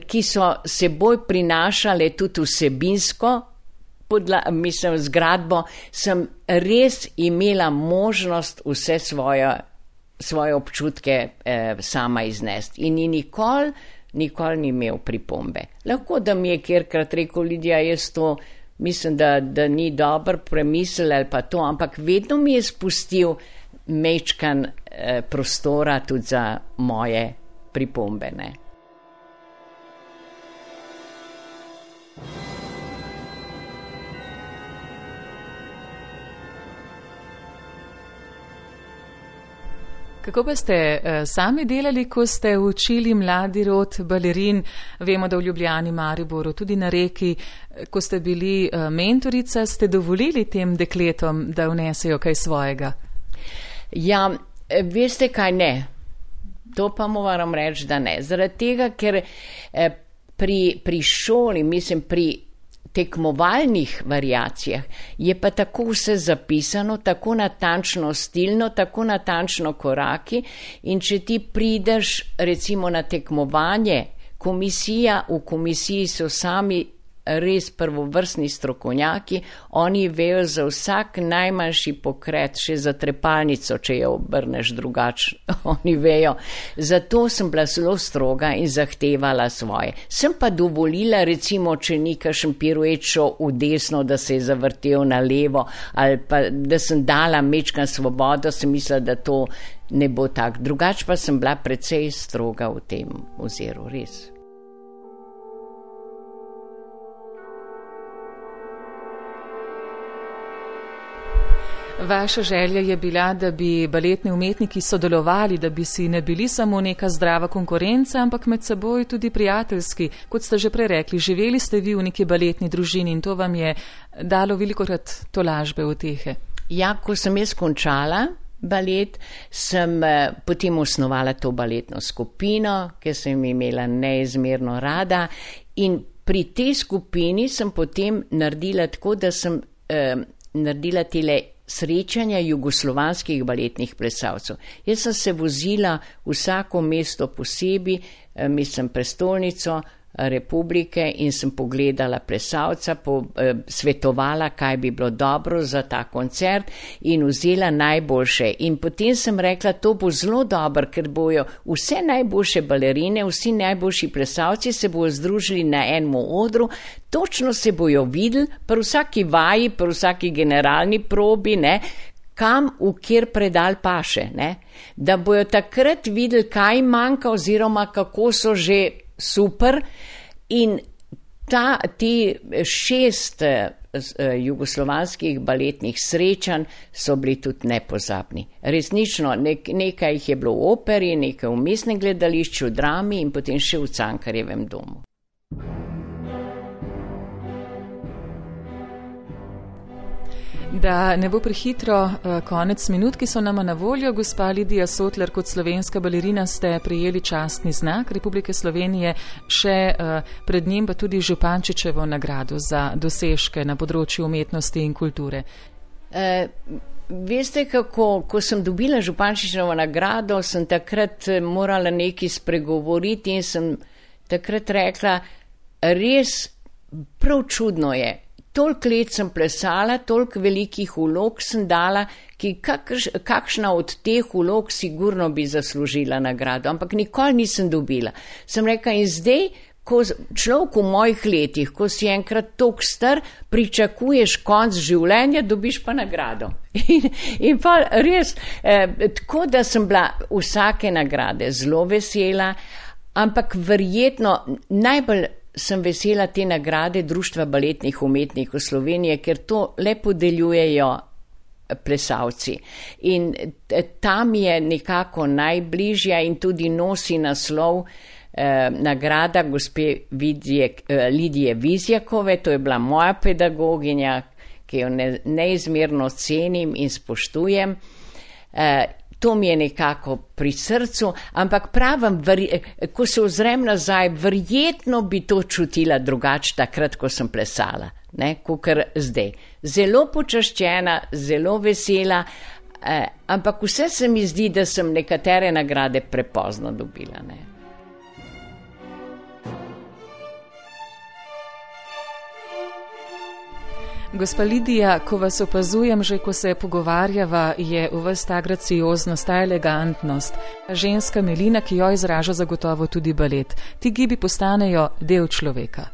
ki so seboj prinašale tudi vsebinsko, Podla, mislim, zgradbo, sem res imela možnost vse svoje, svoje občutke eh, sama iznesti. In nikoli, nikoli ni imel pripombe. Lahko, da mi je kjerkrat rekel, Lidija, jaz to mislim, da, da ni dobro premislil ali pa to, ampak vedno mi je spustil mečkan eh, prostora tudi za moje pripombe, ne. Kako pa ste uh, sami delali, ko ste učili mladi rod balerin? Vemo, da v Ljubljani, Mariboru, tudi na Reki, ko ste bili uh, mentorica, ste dovolili tem dekletom, da vnesejo kaj svojega? Ja, veste kaj, ne. To pa moram reči, da ne. Zaradi tega, ker eh, pri, pri šoli, mislim, pri tekmovalnih variacijah je pa tako vse zapisano, tako natančno stilno, tako natančno koraki in če ti prideš recimo na tekmovanje, komisija, v komisiji so sami res prvovrstni strokovnjaki, oni vejo za vsak najmanjši pokret, še za trepalnico, če jo obrneš drugače, oni vejo. Zato sem bila zelo stroga in zahtevala svoje. Sem pa dovolila, recimo, če ni kakšen piruet šel v desno, da se je zavrtel na levo, ali pa da sem dala mečkan svobodo, sem mislila, da to ne bo tak. Drugače pa sem bila precej stroga v tem oziru, res. Vaša želja je bila, da bi baletni umetniki sodelovali, da bi si ne bili samo neka zdrava konkurenca, ampak med seboj tudi prijateljski. Kot ste že prej rekli, živeli ste vi v neki baletni družini in to vam je dalo velikokrat tolažbe utehe. Ja, ko sem jaz končala balet, sem potem osnovala to baletno skupino, ki sem imela neizmerno rada, in pri tej skupini sem potem naredila tako, da sem eh, naredila tele srečanja jugoslovanskih baletnih plesalcev. Jaz sem se vozila vsako mesto posebej, mislim prestolnico republike, in sem pogledala plesalca, po, eh, svetovala, kaj bi bilo dobro za ta koncert in vzela najboljše. In potem sem rekla, to bo zelo dobro, ker bojo vse najboljše balerine, vsi najboljši plesalci se bojo združili na enem odru, točno se bojo videli, pri vsaki vaji, pri vsaki generalni probi, ne, kam v kjer predal paše, ne, da bojo takrat videli, kaj manjka oziroma kako so že super. In ta, ti šest uh, jugoslovanskih baletnih srečanj so bili tudi nepozabni. Resnično, nek, nekaj jih je bilo v operi, nekaj v mestnem gledališču, v drami in potem še v Cankarjevem domu. Da ne bo prehitro konec minut, ki so nama na voljo, gospa Lidija Sotler, kot slovenska balerina ste prejeli častni znak Republike Slovenije, še pred njim pa tudi Župančičevo nagrado za dosežke na področju umetnosti in kulture. E, veste kako, ko sem dobila Župančičevo nagrado, sem takrat morala nekaj spregovoriti in sem takrat rekla, res prav čudno je. Toliko let sem plesala, toliko velikih vlog sem dala, ki kakš, kakšna od teh vlog sigurno bi zaslužila nagrado, ampak nikoli nisem dobila. Sem rekla, in zdaj, ko človek v mojih letih, ko si enkrat toliko star, pričakuješ konc življenja, dobiš pa nagrado. In, in pa res, eh, tako da sem bila vsake nagrade zelo vesela, ampak verjetno najbolj sem vesela te nagrade Društva baletnih umetnikov Slovenije, ker to le podeljujejo plesalci. In tam je nekako najbližja in tudi nosi naslov eh, nagrada gospe Vidje, eh, Lidije Vizjakove, to je bila moja pedagoginja, ki jo ne, neizmerno cenim in spoštujem. Eh, To mi je nekako pri srcu, ampak pravim, ko se ozrem nazaj, verjetno bi to čutila drugače takrat, ko sem plesala, ne, kakor zdaj. Zelo počaščena, zelo vesela, eh, ampak vse se mi zdi, da sem nekatere nagrade prepozno dobila, ne. Gospa Lidija, ko vas opazujem, že ko se pogovarjava, je v vas ta gracioznost, ta elegantnost, ženska milina, ki jo izraža zagotovo tudi balet. Ti gibi postanejo del človeka.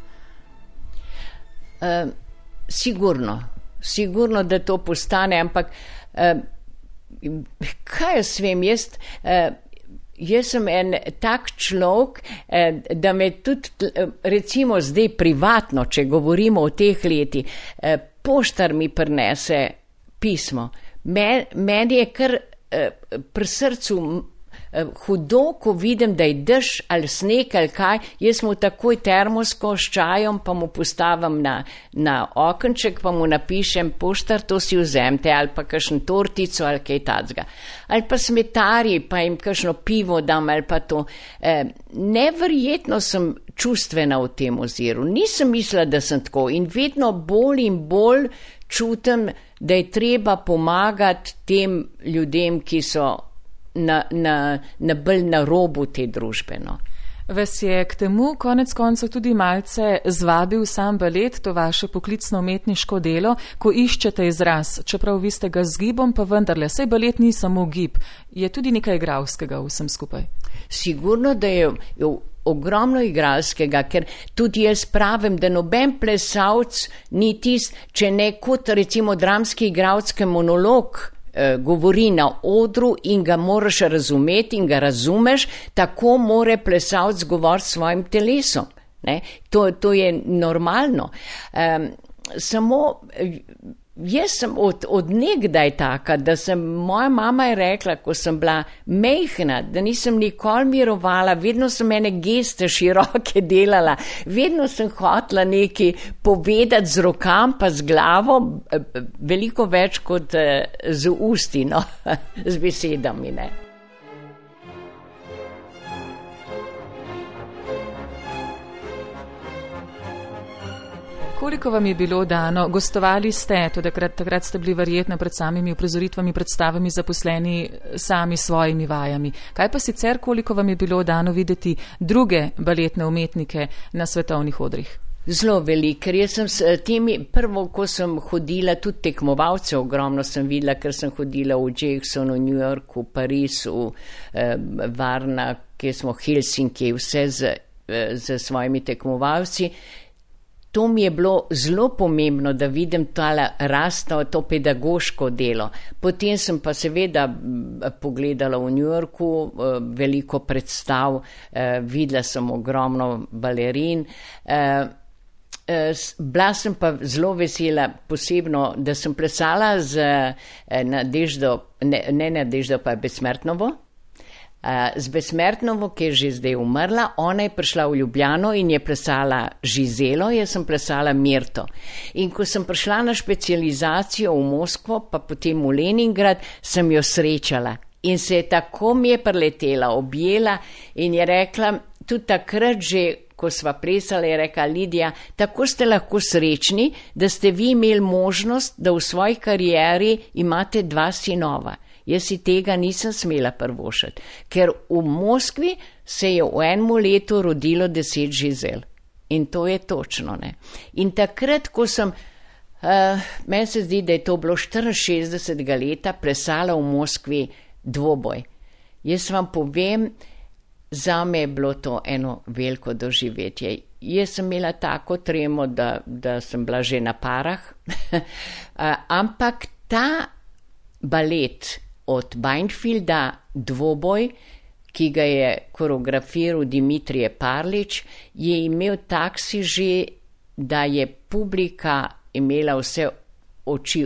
Uh, sigurno, sigurno, da to postane, ampak uh, kaj jaz vem, jaz... Uh, Jaz sem en tak človek, da me tudi, recimo zdaj privatno, če govorimo o teh letih, poštar mi prinese pismo. Meni je kar pri srcu hudo, ko vidim, da je dež ali sneg ali kaj, jaz mu takoj termosko s čajom, pa mu postavim na, na okenček, pa mu napišem, poštar, to si vzemte, ali pa kakšen tortico ali kaj tacga. Ali pa smetarji, pa jim kakšno pivo dam, ali pa to. E, neverjetno sem čustvena v tem oziru. Nisem mislila, da sem tako, in vedno bolj in bolj čutim, da je treba pomagati tem ljudem, ki so Na, na, na bolj na robu te družbe. No. Vas je k temu konec koncev tudi malce zvabil sam balet, to vaše poklicno umetniško delo, ko iščete izraz, čeprav vi ste ga z gibom, pa vendarle, saj balet ni samo gib, je tudi nekaj igralskega vsem skupaj. Sigurno, da je, je ogromno igralskega, ker tudi jaz pravim, da noben plesalc ni tist, če ne kot recimo dramski igralski monolog govori na odru in ga moraš razumeti in ga razumeš, tako more plesalc govoriti s svojim telesom. Ne? To, to je normalno. Um, samo jaz sem od, od nekdaj taka, da sem, moja mama je rekla, ko sem bila mehna, da nisem nikoli mirovala, vedno sem mene geste široke delala, vedno sem hotela nekaj povedati z rokam pa z glavo, veliko več kot z usti, no, z besedami, ne. Koliko vam je bilo dano? Gostovali ste, to takrat, takrat ste bili verjetno pred samimi uprizoritvami, predstavami zaposleni sami svojimi vajami. Kaj pa sicer, koliko vam je bilo dano videti druge baletne umetnike na svetovnih odrih? Zelo veliko, ker jaz sem s temi, prvo, ko sem hodila, tudi tekmovalce ogromno sem videla, ker sem hodila v Jacksonu, v New Yorku, v Parizu, eh, Varna, kjer smo Helsinki, vse z, z svojimi tekmovalci. To mi je bilo zelo pomembno, da vidim tale rasto, to pedagoško delo. Potem sem pa seveda pogledala v New Yorku veliko predstav, videla sem ogromno balerin. Bila sem pa zelo vesela posebno, da sem plesala z Nadeždo, ne, ne Nadeždo, pa Besmrtnovo. Z Besmrtnovo, ki je že zdaj umrla, ona je prišla v Ljubljano in je plesala Žizelo, jaz sem plesala Mirto. In ko sem prišla na specializacijo v Moskvo, pa potem v Leningrad, sem jo srečala. In se je tako mi je preletela, objela in je rekla, tudi takrat že, ko sva plesala, je rekla, Lidija, tako ste lahko srečni, da ste vi imeli možnost, da v svoji karieri imate dva sinova. Jaz si tega nisem smela privoščiti, ker v Moskvi se je v enem letu rodilo deset Žizel. In to je točno, ne. In takrat, ko sem, uh, meni se zdi, da je to bilo štiriinšestdesetega leta, plesala v Moskvi dvoboj. Jaz vam povem, zame je bilo to eno veliko doživetje. Jaz sem imela tako tremo, da, da sem bila že na parah, uh, ampak ta balet od Beinfelda dvoboj, ki ga je koreografiral Dimitrije Parlič, je imel taksi že, da je publika imela vse oči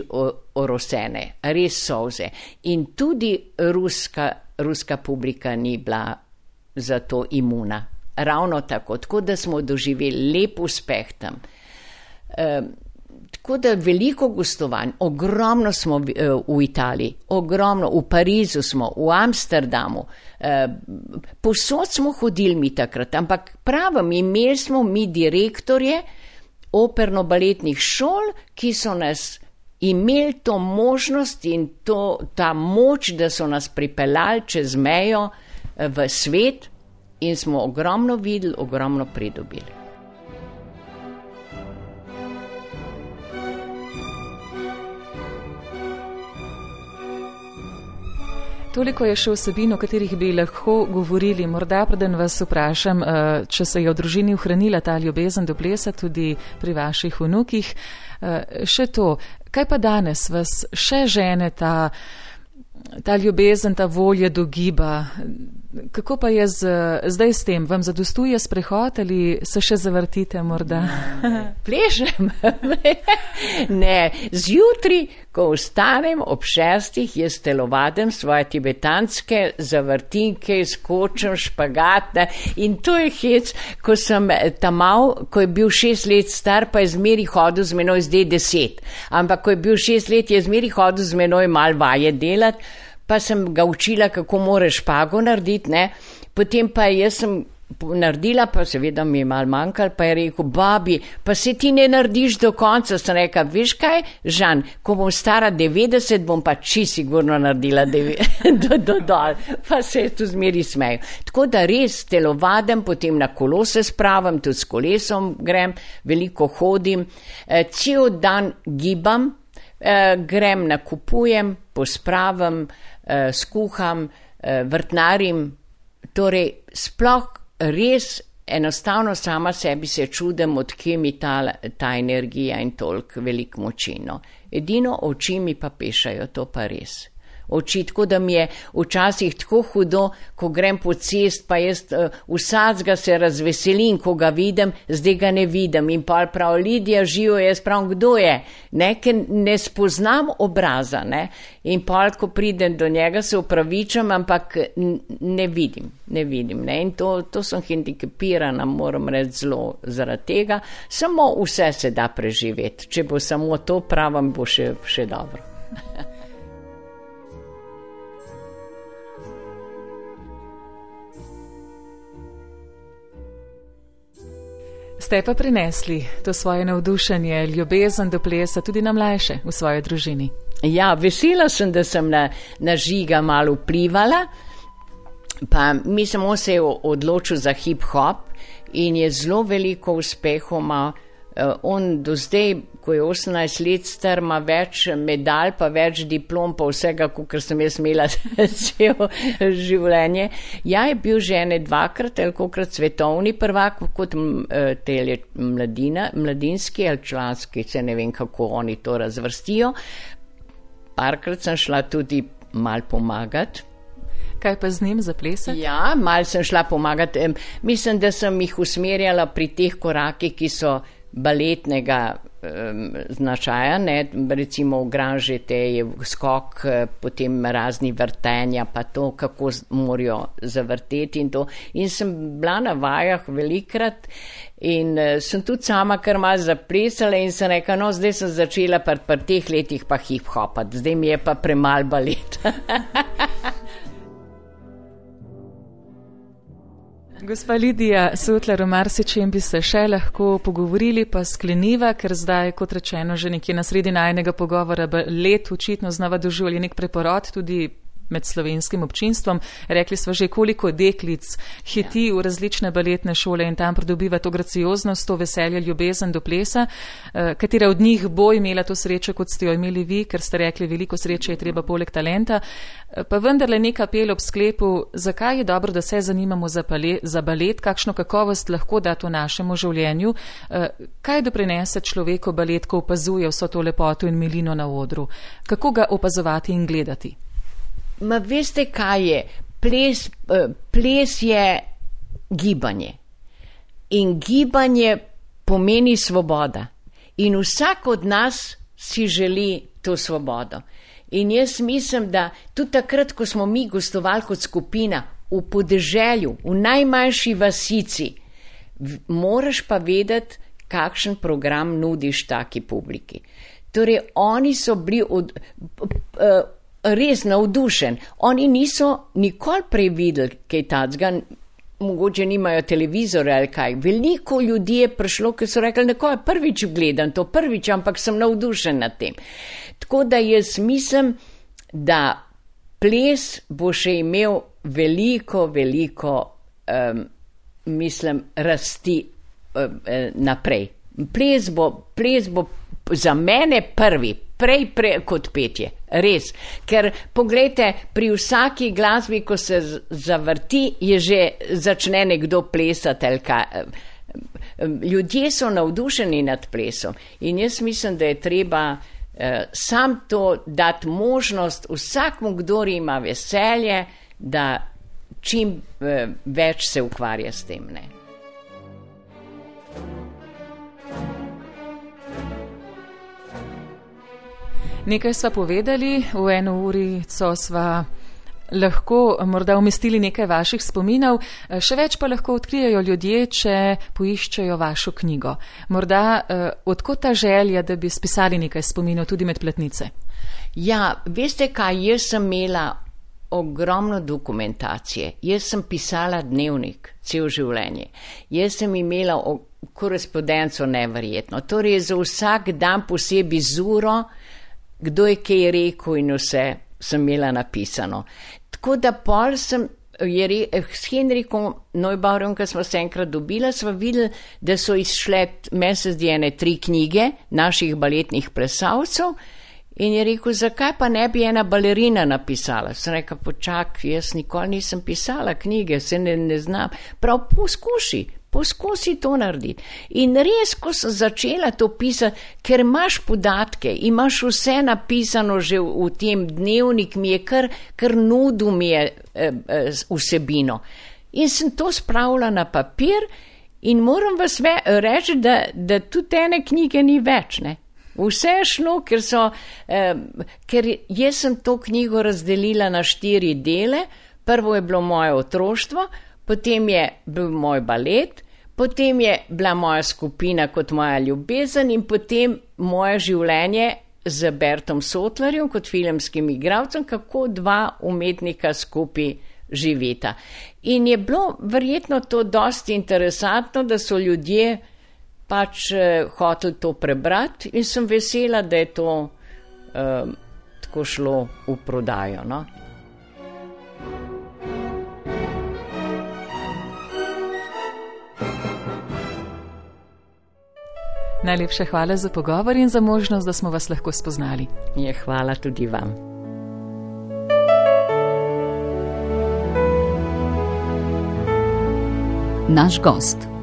orosene, res solze. In tudi ruska, ruska publika ni bila za to imuna. Ravno tako, tako da smo doživeli lep uspeh tam. Um, Tako da veliko gostovanj, ogromno smo v, v Italiji, ogromno, v Parizu smo, v Amsterdamu, eh, posod smo hodili mi takrat, ampak pravim, imeli smo mi direktorje operno-baletnih šol, ki so nas imeli to možnost in to, ta moč, da so nas pripeljali čez mejo v svet in smo ogromno videli, ogromno pridobili. Toliko je še vsebin, o katerih bi lahko govorili. Morda preden vas vprašam, če se je v družini ohranila ta ljubezen do plesa tudi pri vaših vnukih. Še to, kaj pa danes vas še žene ta, ta ljubezen, ta volja do giba? Kako pa je z, zdaj s tem? Vam zadostuje sprehod ali se še zavrtite morda? Plešem. Ne, zjutri, ko vstanem ob šestih, jaz telovadim svoje tibetanske zavrtinke, skočem, špagatne in to je hec, ko sem tamal, ko je bil šest let star, pa je zmeri hodil z menoj, zdaj deset. Ampak ko je bil šest let, je zmeri hodil z menoj mal vaje delati, pa sem ga učila, kako mora špago narediti, ne. Potem pa jaz sem naredila, pa seveda mi je malo manjkal, pa je rekel, babi, pa se ti ne narediš do konca. Sem rekla, veš kaj, Žan, ko bom stara devetdeset, bom pa čisto sigurno naredila do, do dol. Pa se je tu zmeri smejo. Tako da res telovadim, potem na kolo se spravim, tudi s kolesom grem, veliko hodim, e, cel dan gibam, e, grem nakupujem, pospravim, e, skuham, e, vrtnarim, torej sploh res enostavno sama sebi se čudem, odkje mi ta, ta energija in toliko veliko moči. No. Edino oči mi pa pešajo, to pa res. Oči, tako da mi je včasih tako hudo, ko grem po cest, pa jaz uh, vsacga se razveselim, ko ga vidim, zdaj ga ne vidim. In pa prav Lidija živo, jaz pravim, kdo je? Ne, ker ne spoznam obraza. Ne? In pa, ko pridem do njega, se upravičam, ampak ne vidim. Ne vidim. Ne? In to, to sem hendikepirana, moram reči zelo zaradi tega. Samo vse se da preživeti. Če bo samo to pravim, bo še, še dobro. Ste pa prinesli to svoje navdušenje, ljubezen do plesa tudi na mlajše v svoji družini. Ja, vesela sem, da sem na, na Žiga malo vplivala, pa mislim, on se je odločil za hip-hop in je zelo veliko uspehov ima. On do zdaj, ko je osemnajst let star, ima več medalj, pa več diplom, pa vsega, kot sem jaz imela celo življenje. Ja, je bil že ene dvakrat, ali kokrat svetovni prvak, kot tele mladina, mladinski ali članski, se ne vem, kako oni to razvrstijo. Parkrat sem šla tudi mal pomagati. Kaj pa z njim za plesati? Ja, mal sem šla pomagati. Mislim, da sem jih usmerjala pri teh korakih, ki so baletnega um, značaja, ne, recimo v Granžete je skok, potem razni vrtenja, pa to, kako morajo zavrteti in to. In sem bila na vajah velikrat in uh, sem tudi sama kar malo zaplesala in sem rekla, no, zdaj sem začela pri pr teh letih pa hip-hopat, zdaj mi je pa premal balet. Gospa Lidija Sotlar, o marsičem bi se še lahko pogovorili, pa skleniva, ker zdaj, kot rečeno, že nekje na sredi najnega pogovora, let očitno znova doživlja nek preporod tudi med slovenskim občinstvom. Rekli smo že, koliko deklic hiti ja. v različne baletne šole in tam pridobiva to gracioznost, to veselje, ljubezen do plesa. Katera od njih bo imela to srečo, kot ste jo imeli vi, ker ste rekli, veliko sreče je treba poleg talenta. Pa vendarle nek apel ob sklepu, zakaj je dobro, da se zanimamo za, pale, za balet, kakšno kakovost lahko da to našemu življenju, kaj doprinese človeku balet, ko opazuje vso to lepoto in milino na odru, kako ga opazovati in gledati. Ma veste, kaj je? Ples, ples je gibanje. In gibanje pomeni svoboda. In vsak od nas si želi to svobodo. In jaz mislim, da tudi takrat, ko smo mi gostovali kot skupina v podeželju, v najmanjši vasici, moraš pa vedeti, kakšen program nudiš taki publiki. Torej, oni so bili od... Uh, res navdušen. Oni niso nikoli prej videli kaj tacga, mogoče nimajo televizore ali kaj. Veliko ljudi je prišlo, ki so rekli, nekaj prvič gledam to, prvič, ampak sem navdušen nad tem. Tako da jaz mislim, da ples bo še imel veliko, veliko, um, mislim, rasti um, naprej. Ples bo, ples bo za mene prvi, prej, prej kot petje, res. Ker poglejte, pri vsaki glasbi, ko se zavrti, je že začne nekdo plesati. Ljudje so navdušeni nad plesom in jaz mislim, da je treba eh, sam to dati možnost vsakmu, kdor ima veselje, da čim eh, več se ukvarja s tem, ne. Nekaj sva povedali, v eno urico sva lahko morda umestili nekaj vaših spominov, še več pa lahko odkrijajo ljudje, če poiščejo vašo knjigo. Morda eh, odkot ta želja, da bi spisali nekaj spominov tudi med platnice? Ja, veste kaj, jaz sem imela ogromno dokumentacije. Jaz sem pisala dnevnik cel življenje. Jaz sem imela korespondenco neverjetno. Torej za vsak dan posebej zuro, kdo je kaj rekel in vse sem imela napisano. Tako da pol sem, je re, s Henrikom Neubauerjem, ko smo se enkrat dobila, smo videli, da so izšle mesec djene tri knjige naših baletnih plesalcev. In je rekel, zakaj pa ne bi ena balerina napisala? Sem rekel, počak, jaz nikoli nisem pisala knjige, se ne, ne znam. Prav poskuši, poskusi to narediti. In res, ko sem začela to pisati, ker imaš podatke, imaš vse napisano že v, v tem dnevnik, mi je kar, kar nudil mi je eh, eh, vsebino. In sem to spravila na papir in moram vas ve, reči, da, da tudi ene knjige ni več, ne. Vse je šlo, ker so, eh, ker jaz sem to knjigo razdelila na štiri dele. Prvo je bilo moje otroštvo, potem je bil moj balet, potem je bila moja skupina kot moja ljubezen in potem moje življenje z Bertom Sotlarjem kot filmskim igralcem, kako dva umetnika skupaj živita. In je bilo verjetno to dosti interesantno, da so ljudje pač eh, hotel to prebrati in sem vesela, da je to eh, tako šlo v prodajo, no. Najlepša hvala za pogovor in za možnost, da smo vas lahko spoznali. Je, hvala tudi vam. Naš gost.